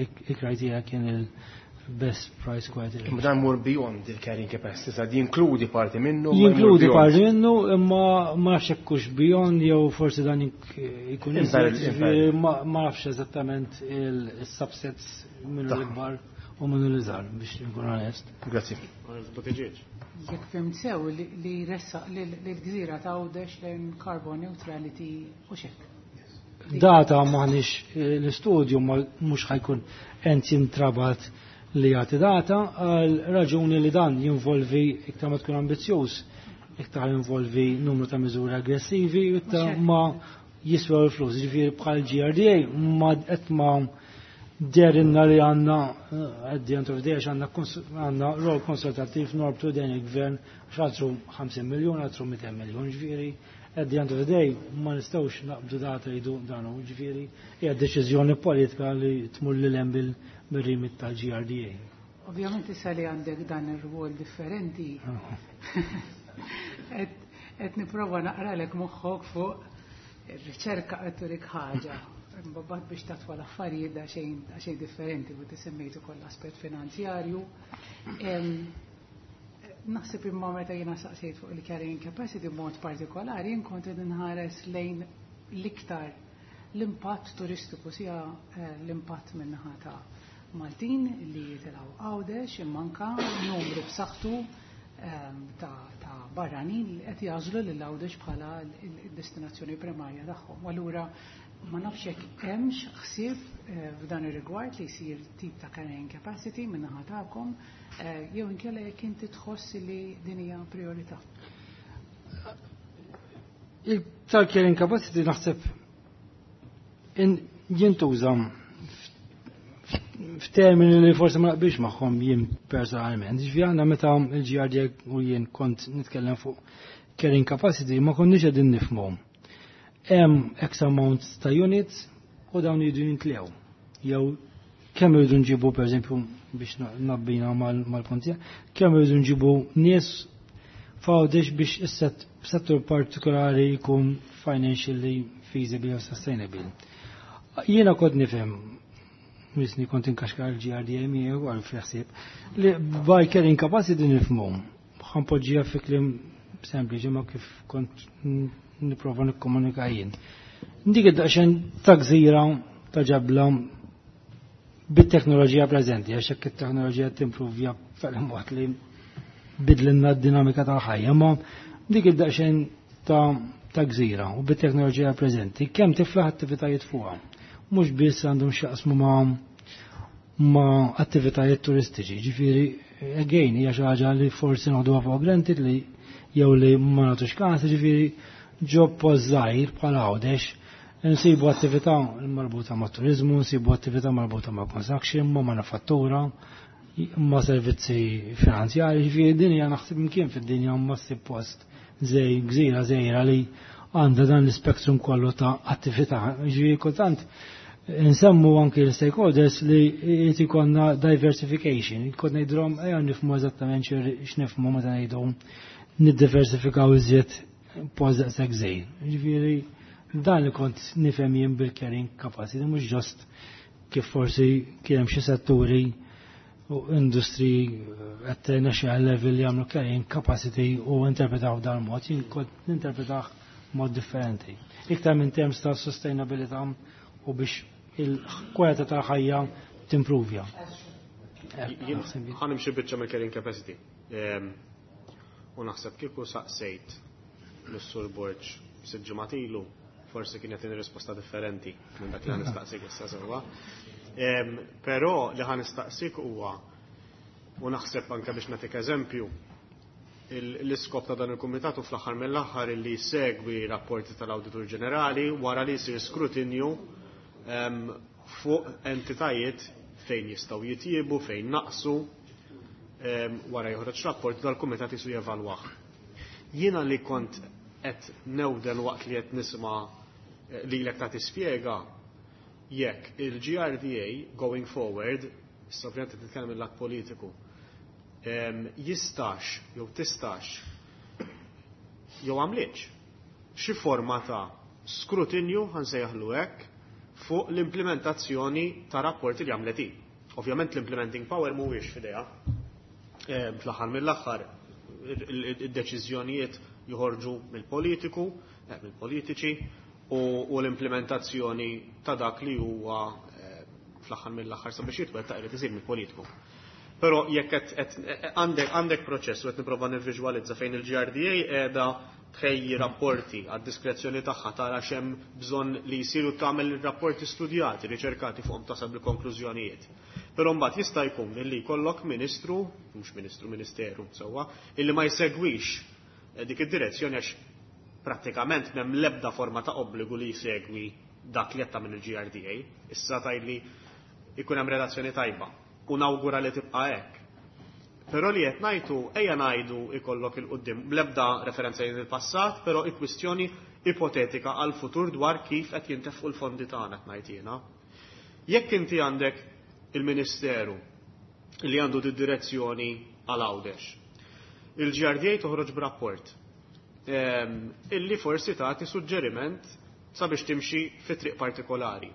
il-criteria kien il-best price quality ratio. Imma dan mur beyond il-carrying capacity, sa jinkludi parti minnu, ma jmur Jinkludi beyond. Parti minnu, imma ma nafx hekk hux beyond jew forsi dan ikun iżjed, Imparallel. ġifieri ma nafx eżattament il-subsets minnu l-ikbar u minnu l-iżgħar, biex nkun onest. Grazzi. Buttigieg. Jekk fhimt sew, li ressaq l-gżira ta' Għawdex lejn carbon neutrality u xek. Data maħniex, l-istudju mhux ħa jkun ent jintrabat li jagħti data, għal raġuni li dan jinvolvi, iktar ma tkun ambizzjuż, iktar jinvolvi numru ta' miżuri aggressivi, iktar Mhux hekk. ma jiswew il-flus. Ġifieri bħal GRDA ma qed ma derinna li għandna at the end of the day, għax għandna rol konsultattiv norbtu dan il-gvern, għax għatru 50 miljon, għatru 200 miljon, ġifieri at the end of the day ma nistgħux naqbdu data jdu dan u ġifieri hija deċiżjoni politika li tmur lil hemm bil-remit tal-GRDA. Ovvjament issa li għandek dan ir-rwol differenti, qed nipprova naqralek moħħok fuq ir-riċerka qed turik ħaġa. Imbagħad biex tatwa l-affarijiet da xejn differenti, u semmejtu ukoll aspett finanzjarju. Naħseb imma meta jiena saqsejt fuq il-carrying capacity b'mod partikolari, jien kont qed inħares lejn l-iktar l-impatt turistiku, sija l-impatt min-naħa ta' Maltin li jitilgħu Għawdex, imma anka numru b'saħħtu ta' barranin li qed jagħżlu lil Għawdex bħala l-destinazzjoni primarja tagħhom. U allura ma nafx jekk hemmx ħsieb f'dan ir-rigward li jsir tip ta' carrying capacity min-naħa tagħkom, jew inkella jekk inti tħoss li din hija priorità. Il-tal-carrying capacity naħseb jintuża f'termini li forsi ma naqbilx magħhom jien personalment. Ġifieri aħna meta il-GRD u jien kont nitkellem fuq carrying capacity, ma konniex qegħdin nifhmu. Hemm X amount ta' units u dawn jridu jintlew. Jew kemm irridu nġibu, pereżempju, biex nabbina mal-puntija, kemm irridu nġibu nies f'Għawdex biex is-settur partikolari jkun financially feasible u sustainable. Jiena kont nifhem, misni kont inkaxkar il-GRDA miegħu għal fl-ħsieb, li by carrying capacity nifhmu. Ħa npoġġiha fi kliem sempliċi ma kif kont nipprova nikkomunika jien. Dik id-daqsxejn ta' gżira ta' ġebla bit-teknoloġija preżenti, għax hekk it-teknoloġija timpruvja fil-mod li bidlinna d-dinamika tal-ħajja, ma dik id-daqsxejn ta' gżira u bit-teknoloġija preżenti, kemm tiflaħ attivitajiet fuqha. Mhux biss għandhom x'jaqsmu ma' attivitajiet turistiċi, ġifieri again hija xi ħaġa li forsi noħduha for granted li jew li ma nagħtux każ, ġifieri ġo post żgħir bħal Għawdex nsibu attività marbuta ma' turizmu, nsibu attività marbuta ma' construction, ma' manifattura, ma' servizzi finanzjari, ġifieri din hija naħseb imkien fid-dinja ma ssib post żej gżira żgħira li għandha dan l-spektrum kollu ta' attività. Ġifieri kultant nsemmu anki l-stakeholders li jrid ikollna diversification, kont ngħidulhom ejja nifhmu eżattament x'nifhmu meta ngħidu niddiversifikaw iżjed post daqshekk żgħir. Ġifieri dan li kont nifhem jien bil-carrying capacity, mhux just kif forsi kien hemm xi setturi u industry at national level li jagħmlu carrying capacity u interpretaw dan mod, jien kont ninterpretah mod differenti. Iktar minn terms ta' sustainabilità u biex il-kwalità tal-ħajja timpruvja. Ħa nimxi biċċa mill-carrying capacity. U naħseb kieku saqsejt lis-Sur Borg 6 ġimgħat ilu, forsi kien jagħtini risposta differenti minn dak li ħa nistaqsik issa sewwa. Però li ħa nistaqsik huwa, u naħseb anke biex nagħtik eżempju, l-iskop ta' dan il-kumitat u fl-aħħar mill-aħħar li segwi rapporti tal-Awditur Ġenerali wara li jsir skrutinju fuq entitajiet fejn jistgħu jitjiebu, fejn naqsu, wara joħroġ rapport dal-kumitat jisu jevalwah. Jiena li kont qed newden waqt li qed nisma' lilek ta' tispjega jekk il-GRDA going forward, issa ovvjament qed nitkellem mill-lat politiku, jistax jew tistax jew għamlitx xi forma ta' skrutinju, ħa nsejjaħlu hekk, fuq l-implementazzjoni ta' rapporti li għamlet hi. Ovvjament l-implementing power mhuwiex f'idejha. Fl-aħħar mill-aħħar id-deċiżjonijiet joħorġu mill-politiku, mill-politiċi u l-implementazzjoni ta' dak li huwa fl-aħħar mill-aħħar sabiex jitwettaq irid isir mill-politiku. Però jekk qed għandek proċess u qed nipprova nivviżwalizza fejn il-GRDA qiegħda tħejji rapporti għad diskrezzjoni tagħha, tara x'hemm bżonn li jsiru, tagħmel rapporti studjati, riċerkati fuqhom, tasal bil-konklużjonijiet. Però mbagħad jista' jkun li jkollok ministru, mhux ministru, ministeru, sewwa, illi ma jsegwix dik id-direzzjoni għax prattikament m'hemm l-ebda forma ta' obbligu li jsegwi dak li qed tagħmel il-GRDA. Issa tgħidli ikun hemm relazzjoni tajba u nawgura li tibqa' hekk. Però li qed ngħidu, ejja ngħidu ikollok il-quddiem bl-ebda referenza il-passat, però il-kwistjoni ipotetika għal futur dwar kif qed jintefqu l-fondi tagħna qed ngħid jiena. Jekk inti għandek il-Ministeru li għandu di direzzjoni għal Għawdex, il-GRDA toħroġ b'rapport illi forsi tagħti suġġeriment sabiex timxi fi triq partikolari.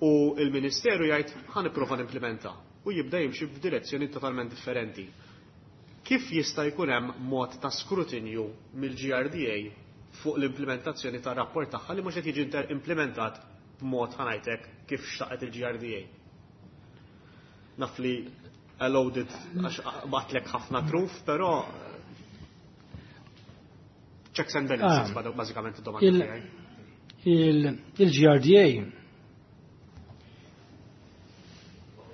U il-Ministeru jgħid ħa nipprova nimplementa u jibda jimxi f'direzzjoni totalment differenti. Kif jista' jkun hemm mod ta' skrutinju mill-GRDA fuq l-implementazzjoni ta' rapport tagħha li mhux qed jiġi implementat b'mod, ħa ngħidlek, kif xtaqet il-GRDA? Naf li loaded għax bgħattlek ħafna truf, però checks and balances, bażikament id-domanda tiegħi. Il-GRDA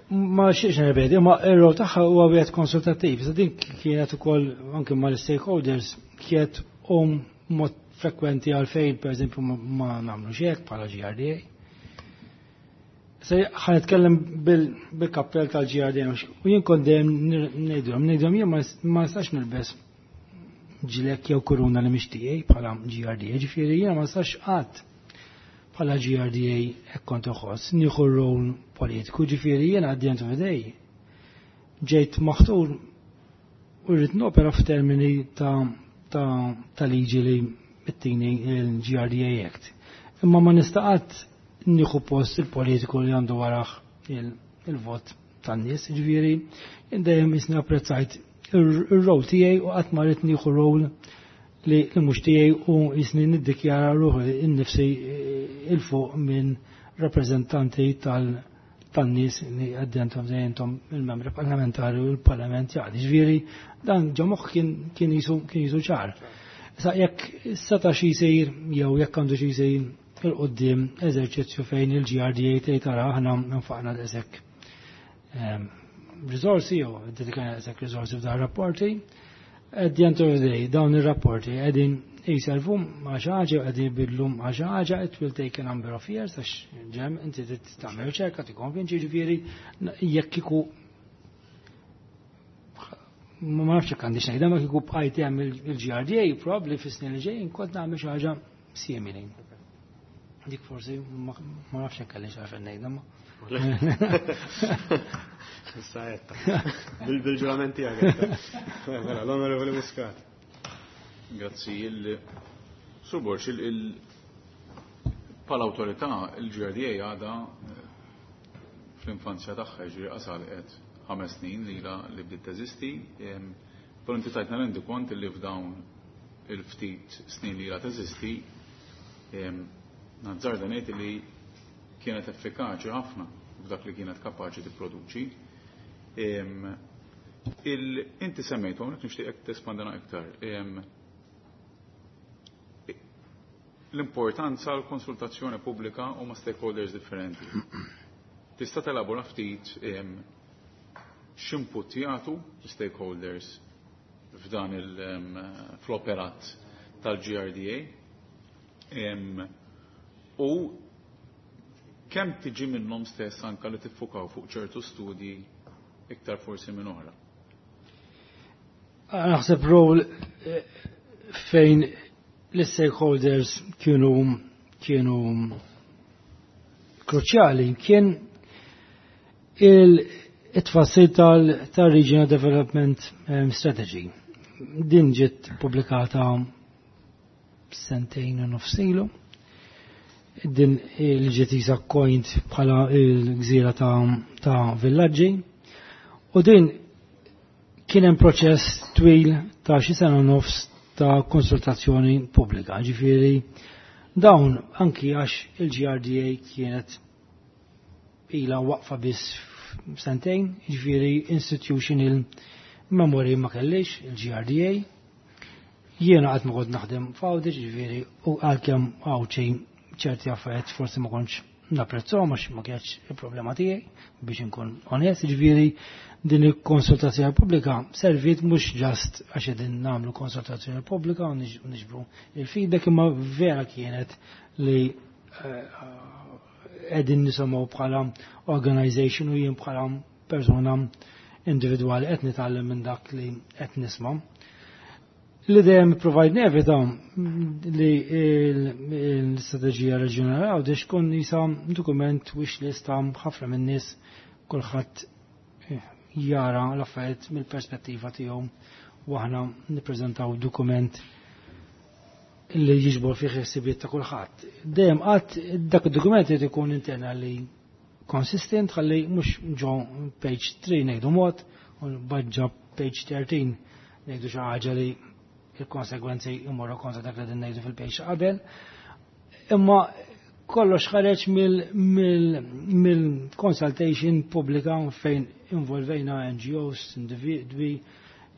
ma xiex nirrepeti, ma ir-rol tagħha huwa wieħed konsultattiv. Sa din kienet ukoll anke mal-stakeholders kienet um mod frekwenti għalfejn, per eżempju, ma nagħmlu hekk bħala GRDA. Se ħa nitkellem bil-kappell tal-GRDA u jien kont dejjem ngħidulhom jien ma nistax nilbes ġilek jew kuruna li mhix tiegħi bħala GRDA, ġifieri jiena ma nistax qatt bħala GRDA, hekk kont uħoss, nieħu rol politiku, ġifieri jiena at the end of the day ġejt maħtur u rrid nopera f'termini ta' liġi li mittini il-GRDA Act. Imma ma nista' qatt nieħu post il-politiku li għandu warah il-vot tan-nies, ġifieri jien dejjem jisni apprezzajt ir-rol tiegħi u qatt ma rrid nieħu rol li mhux tiegħi u jisni niddikjara ruħi innifsi il-fuq minn rappreżentanti tan-nies li għaddentom dejjentom il-membri parlamentari u l-parlament jgħadi. Ġifieri dan ġo moħħ kien jisu ċar. Sa jekk seta xi jsir jew jekk għandu xi jsir il-qoddim eżerċizzju fejn il-GRDA tgħid tara aħna nfaqna daqshekk risorsi jew dedikajna daqshekk risorsi f'dan rapporti. At the end of the day, dawn ir-rapporti qegħdin jiservu ma' xi ħaġa, qegħdin jbidlu ma' xi ħaġa, it will take a number of years għax ġem inti trid tagħmel riċerka, tikkonvinċi, ġifieri jekk kieku, ma nafx jekk għandix ngħidha, ma kieku bqajt hemm il-GRDA, probabbli fis-snin li ġejjin kont nagħmel xi ħaġa simili. Dik forsi ma nafx jekk għaliex għarfen ngħidha ma. Issa għedtha. Bil-ġurament tiegħek. Mela, l-Onorevoli Muscat. Grazzi. Sur Borg, bħala awtorità, il-GRDA għadha fl-infanzja tagħha, ġifieri qasal qed 5 snin li li bdiet teżisti, però inti tajtna rendikont li f'dawn il-ftit snin li ilha teżisti, nazzarda ngħid li kienet effikaċi ħafna f'dak li kienet kapaċi tipproduċi. Inti semmejtu, hawnhekk nixtieqek tespandina iktar. L-importanza l-konsultazzjoni pubblika u ma' stakeholders differenti. Tista' telabora ftit x'input jagħtu stakeholders f'dan fl-operat tal-GRDA u kemm tiġi minnhom stess anka li tiffukaw fuq ċertu studji iktar forsi minn oħra. Naħseb rol fejn l-stakeholders kienu kruċjali kien il-tfassil tal-Regional Development Strategy. Din ġiet pubblikata sentejn u nofs ilu. Din il ġiet isa coined bħala il-gżira ta' villaġġi. U din kien hemm proċess twil ta' xi sena u nofs ta' konsultazzjoni pubblika. Ġifieri dawn anki għax il-GRDA kienet ila waqfa biss sentejn, ġifieri institutional memory ma kellix il-GRDA. Jiena qatt ma kont naħdem f'Għawdex, ġifieri u għalkemm Għawdxi ċerti affarijiet forsi ma kontx napprezzhom għax ma kienx il-problema tiegħi biex inkun onest, ġifieri din il-konsultazzjoni pubblika servit mhux just għax qegħdin nagħmlu konsultazzjoni pubblika u niġbru il-feedback, imma vera kienet li qegħdin nisimgħu bħala organization u jien bħala persona individwali qed nitgħallem minn dak li qed nisma'. Li dejjem provajt nevita li l-istrateġija reġjonali Għawdex tkun jisa dokument wish list ta' ħafna minn nies, kulħadd jara l-affarijiet mill-perspettiva tiegħu u aħna nippreżentaw dokument li jiġbor fih ħsibijiet ta' kulħadd. Dejjem qatt dak id-dokument irid ikun internally consistent, ħalli mhux ġo page 3 ngħidu mod u baġġa page 13 ngħidu xi ħaġa li il-konsegwenzi jmorru kontra dak li din ngħidu fil-page qabel. Imma kollox ħareġ mill-consultation pubblika fejn involvejna NGOs, individwi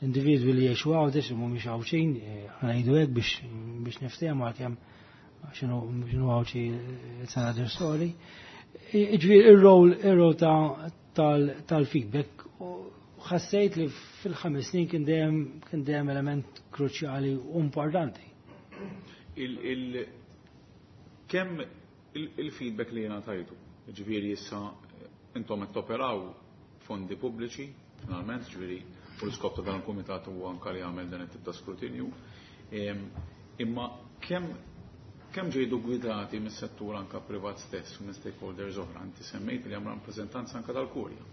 li jgħixu Għawdex, mhumiex Għawdxin, ngħidu hekk biex niftehmu għalkemm x'inhu Għawdxi, it's another story. Ġifieri ir-role tal-feedback ħassejt li fil-5 snin kien dejjem element kruċjali u importanti. Kemm il-feedback li jena tajtu, ġifieri issa intom qed toperaw fondi pubbliċi, finalment, ġifieri u l-iskop ta' dan il-kumitat huwa anka li jagħmel dan it-tip ta' skrutinju. Imma kemm ġejdu gwidati mis-settur anka privat stess u minn stakeholders oħra, inti semmejt li hemm rappreżentanza anka tal-Kurja,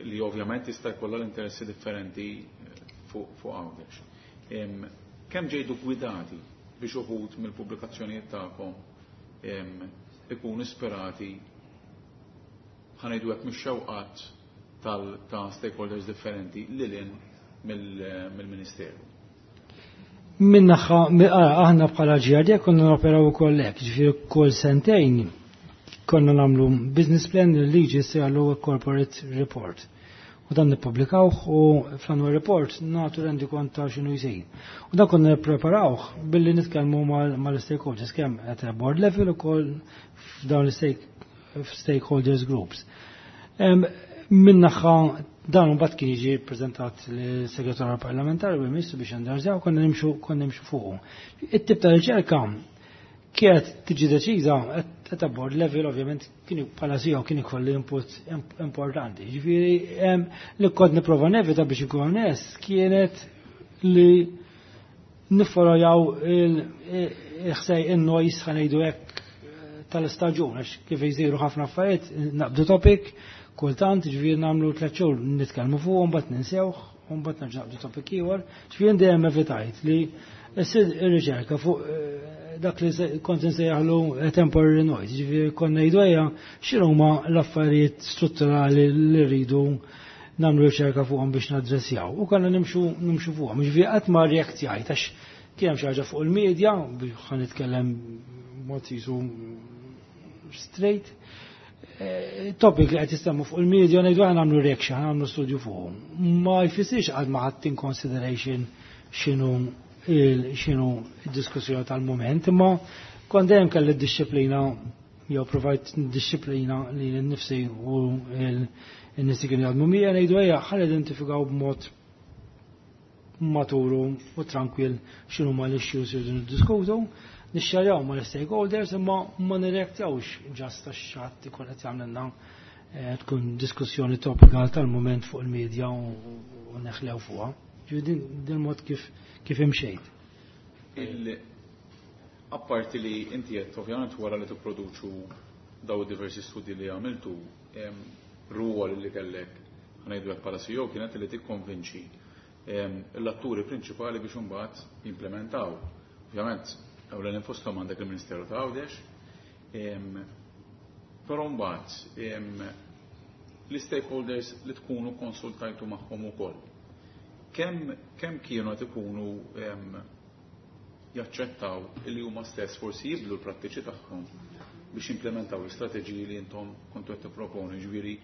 li ovvjament jista' jkollha l-interessi differenti fuq Għawdex. Kemm ġejdu gwidati biex uħud mill-pubblikazzjonijiet tagħkom ikunu ispirati, ħa ngħidu hekk, mix-xewqat ta' stakeholders differenti lil hinn mill-Ministeru? Min-naħa, aħna bħala GRD konna noperaw ukoll hekk, ġifieri kull sentejn konna nagħmlu business plan li liġi ssejjaħlu corporate report. U dan nippubblikawh u fl-annual report nagħtu rendikont ta' x'inhu jsir. U dan konna nippreparawh billi nitkellmu mal-stakeholders kemm at a board level ukoll f'dawn l-stakeholders groups. Min-naħa dan mbagħad kien jiġi ppreżentat lis-segretarju parlamentari u l-Ministru biex jendorsjaw, konna nimxu fuqu. It-tip ta' riċerka kienet tiġi deċiża at a board level, ovvjament kien bħala CEO kien ikolli input importanti. Ġifieri li kont nipprova nevita, biex inkun onest, kienet li niffollojaw il-ħsej in-noise, ħa ngħidu hekk, tal-istaġun, għax kif jsiru ħafna affarijiet naqbdu topic kultant, ġifieri nagħmlu 3 xhur nitkellmu fuq, mbagħad ninsewh, u mbagħad nerġa' naqbdu topic ieħor. Ġifieri dejjem evitajt li ssir ir-riċerka fuq dak li kont nsejjaħlu temporary noise, ġifieri konna ngħidu ejja x'inhuma l-affarijiet strutturali li rridu nagħmlu riċerka fuqhom biex naddressjaw. U konna nimxu fuqhom. Ġifieri qatt ma reaktjajt għax kien hemm xi ħaġa fuq il-medja, biex ħa nitkellem. mod jisu straight. Topic li qed jistemmu fuq il-media ngħidu aħna nagħmlu reaction, nagħmlu studju fuqhom. Ma jfissirx għad ma ħadd in consideration x'inhu x'inhu d-diskussjoni tal-mument, imma kont dejjem kelli d-disciplina jew provajt disciplina li nnifsi u n-nies li kienu jaħdmu miegħi ngħidu ejja ħa identifikaw b'mod maturu u tranquil x'inhu ma l-issues irridu niddiskutu, nixxarjaw ma l-stakeholders imma ma nirreaktjawx just għax xi ħadd ikun qed jagħmlilna tkun diskussjoni topikal tal-mument fuq il-medja u neħlew fuqha. Ġifieri din mod kif imxejt. Apparti li inti qed ovvjament wara li tipproduċu daw diversi studi li għamiltu, ruol li kellek ħa ngħidu hekk bħala CEO kienet li tikkonvinċi l-atturi prinċipali biex imbagħad jimplementaw. Ovvjament, ewlenin fosthom għandek il-Ministeru ta' Għawdex, però mbagħad l-stakeholders li tkunu konsultajtu magħhom ukoll. Kemm kienu qed ikunu jaċċettaw li huma stess forsi jibdlu l-prattiċi tagħhom biex implementaw l-istrateġiji li intom kontu qed tipproponu, ġifieri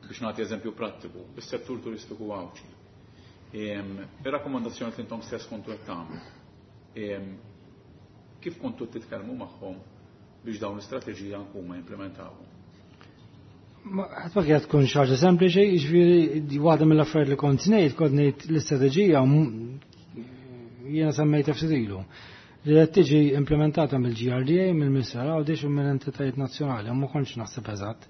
biex nagħti eżempju prattiku, is-settur turistiku Għawdxi. Ir-rakkomandazzjoni li intom stess kontu qed tagħmlu. Kif kontu titkellmu magħhom biex dawn l-istrateġija huma jimplementawhom? Ma ħadd ma kienet tkun xi ħaġa sempliċi, jiġifieri waħda mill-affarijiet li kont ngħid, kont ngħid l-istrateġija jiena semmejtha ftit ilu. Li qed tiġi implementata mill-GRDA, mill-Ministeru Għawdex u mill-entitajiet nazzjonali, u ma kontx naħseb eżatt.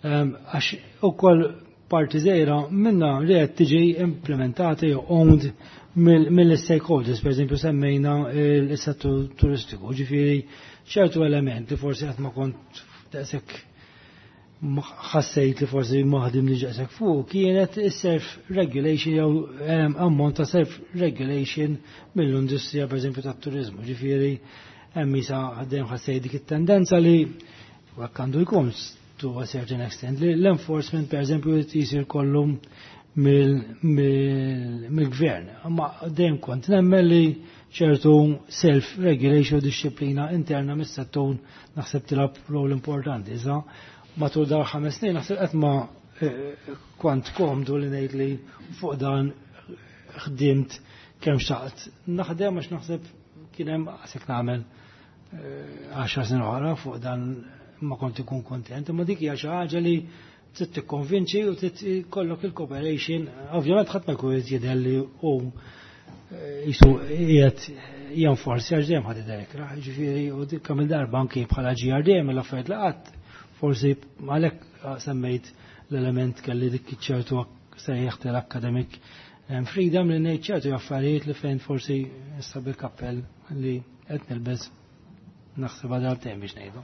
Għax ukoll parti żgħira minna li qed tiġi implementata jew owned mill-stakeholders, per eżempju semmejna il-settur turistiku, ġifieri ċertu element li forsi qatt ma kont daqshekk ħassejt li forsi maħdim li ġaqsek fuq kienet is-self-regulation jew ammont ta' self-regulation mill-industrija per eżempju tat-turizmu. Ġifieri hemm isa dejjem ħassejt dik it-tendenza li hekk għandu jkun to a certain extent li l-enforcement per eżempju jisir kollu mill-gvern. Ma dejjem kont nemmen li ċertu self-regulation u disciplina interna mis-settur naħseb tilgħab rol importanti. Iżda matul dawn 5 snin naħseb qed ma kont komdu li ngħid li fuq dan ħdimt kemm xtaqt. Naħdem għax naħseb kien hemm għasek nagħmel 10 snin oħra fuq dan ma kont ikun kontent, imma dik hija xi ħaġa li trid tikkonvinċi u trid ikollok il-cooperation. Ovvjament ħadd ma jkun qed jidher li hu jisu qiegħed jenforsi għax dejjem ħadd idher ikrah, jiġifieri u dik kemm il-darba anki bħala GRD mill-affarijiet li qatt forsi għalhekk semmejt l-element kelli dik ċertu sejjaħt l-academic freedom li ngħid ċertu affarijiet li fejn forsi issa bil-kappell li qed nilbes naħseb għadha dejjem biex ngħidu.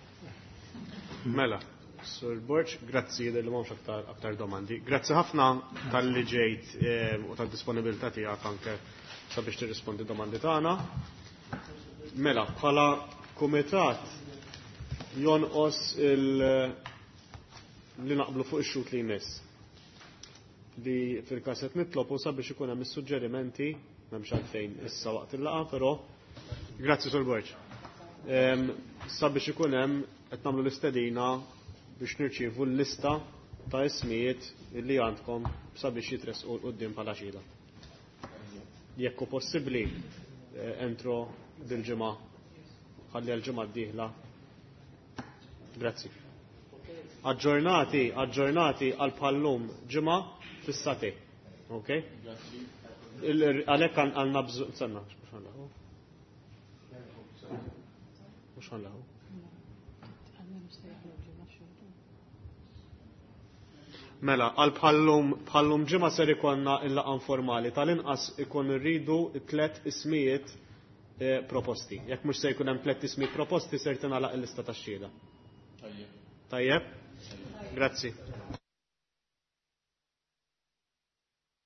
Mela, Sur Borg, grazzi li m'hawnx aktar domandi. Grazzi ħafna tal-li ġejt u tad-disponibilità tiegħek anke sabiex tirrispondi domandi tagħna. Mela, bħala kumitat jonqos li naqblu fuq ix-xut li jmiss. Li fil-każ qed nitlob u sabiex ikun hemm is-suġġerimenti, m'hemmx għalfejn issa waqt il-laqgħa, però grazzi Sur Borg. Sabiex ikun hemm qed nagħmlu l-istedina biex nirċievu l-lista ta' ismijiet li għandkom sabiex jitresqu 'l quddiem bħala xhieda. Jekk hu possibbli entro dil-ġimgħa, ħalli għall-ġimgħa d-dieħla. Grazzi. Aġġornati, aġġornati għal bħallum ġimgħa fis-sati. Ok? Għalhekk għandna bżonn, sanna, mhux ħanlaħu. Mhux ħanlaħu. Mela, għal bħallum ġimgħa ser ikollna il-laqgħa informali tal-inqas ikun irridu 3 ismijiet proposti. Jekk mhux se jkun hemm 3 ismijiet proposti ser tingħalaq il-lista tax-xhieda. Tajjeb. Tajjeb? Grazzi.